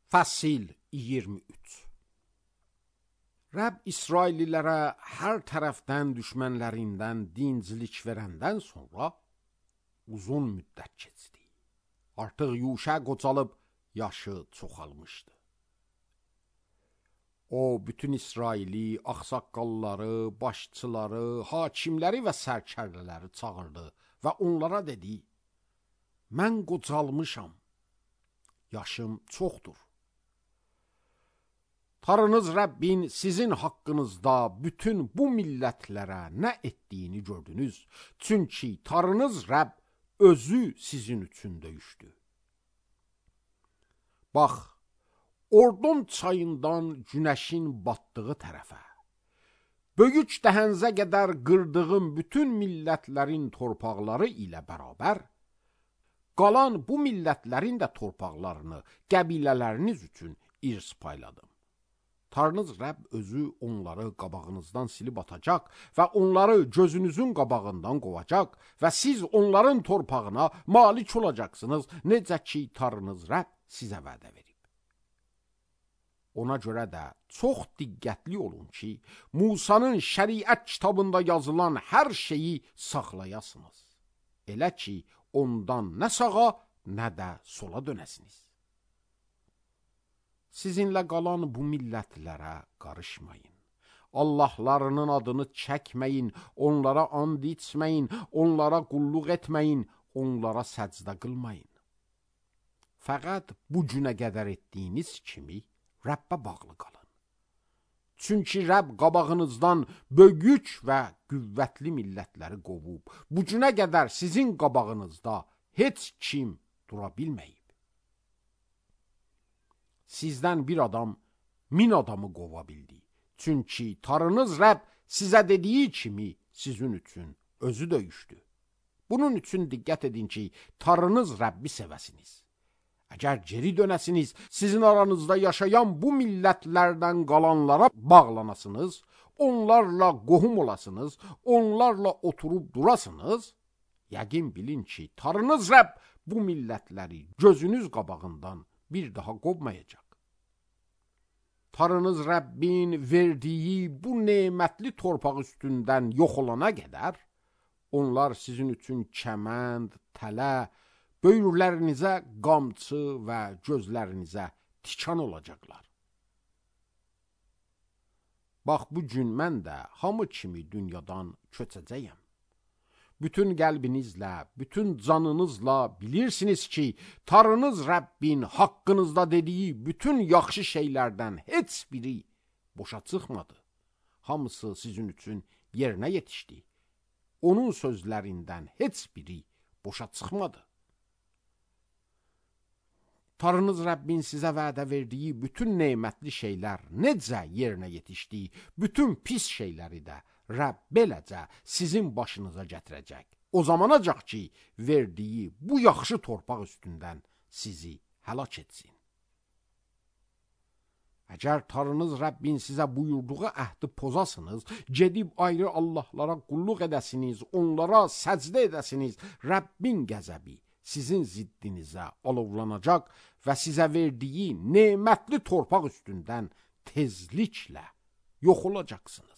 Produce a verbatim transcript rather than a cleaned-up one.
Fəsil iyirmi üç. Rəbb İsraillilərə hər tərəfdən düşmənlərindən dincilik verəndən sonra uzun müddət keçdi. Artıq Yuşa qocalıb yaşı çoxalmışdı. O, bütün İsraili, ağsaqqalları, başçıları, hakimləri və sərkərdələri çağırdı və onlara dedi: Mən qocalmışam, yaşım çoxdur. Tanrınız Rəbbin sizin haqqınızda bütün bu millətlərə nə etdiyini gördünüz. Çünki Tanrınız Rəbb özü sizin üçün döyüşdü. Bax, Ordon çayından günəşin batdığı tərəfə, böyük dəhənzə qədər qırdığım bütün millətlərin torpaqları ilə bərabər, qalan bu millətlərin də torpaqlarını qəbilələriniz üçün irs payladım. Tanrınız Rəbb özü onları qabağınızdan silib atacaq və onları gözünüzün qabağından qovacaq və siz onların torpağına malik olacaqsınız, necə ki Tanrınız Rəbb sizə vədə verib. Ona görə də çox diqqətli olun ki, Musanın şəriət kitabında yazılan hər şeyi saxlayasınız. Elə ki, ondan nə sağa, nə də sola dönəsiniz. Sizinlə qalan bu millətlərə qarışmayın. Allahlarının adını çəkməyin, onlara and içməyin, onlara qulluq etməyin, onlara səcdə qılmayın. Fəqət bu günə qədər etdiyiniz kimi Rəbbə bağlı qalın. Çünki Rəbb qabağınızdan böyük və qüvvətli millətləri qovub, bu günə qədər sizin qabağınızda heç kim dura bilməyib. Sizdən bir adam min adamı qova bildi. Çünki Tanrınız Rəbb sizə dediyi kimi sizin üçün özü döyüşdü. Bunun üçün diqqət edin ki, Tanrınız Rəbbi sevəsiniz. Əgər geri dönəsiniz, sizin aranızda yaşayan bu millətlərdən qalanlara bağlanasınız, onlarla qohum olasınız, onlarla oturub durasınız, yəqin bilin ki, Tanrınız Rəbb bu millətləri gözünüz qabağından bir daha qovmayacaq. Tanrınız Rəbbin verdiyi bu nemətli torpaq üstündən yox olana qədər, onlar sizin üçün kəmənd, tələ, böyürlərinizə qamçı və gözlərinizə tikan olacaqlar. Bax, bu gün mən də hamı kimi dünyadan köçəcəyəm. Bütün qəlbinizlə, bütün canınızla bilirsiniz ki, Tanrınız Rəbbin haqqınızda dediyi bütün yaxşı şeylərdən heç biri boşa çıxmadı. Hamısı sizin üçün yerinə yetişdi. Onun sözlərindən heç biri boşa çıxmadı. Tanrınız Rəbbin sizə vədə verdiyi bütün nemətli şeylər necə yerinə yetişdi, bütün pis şeyləri də Rəbb beləcə sizin başınıza gətirəcək. O zamanacaq ki, verdiyi bu yaxşı torpaq üstündən sizi həlak etsin. Əgər Tanrınız Rəbbin sizə buyurduğu əhdi pozasınız, gedib ayrı Allahlara qulluq edəsiniz, onlara səcdə edəsiniz, Rəbbin qəzəbi sizin ziddinizə alovlanacaq və sizə verdiyi nemətli torpaq üstündən tezliklə yox olacaqsınız.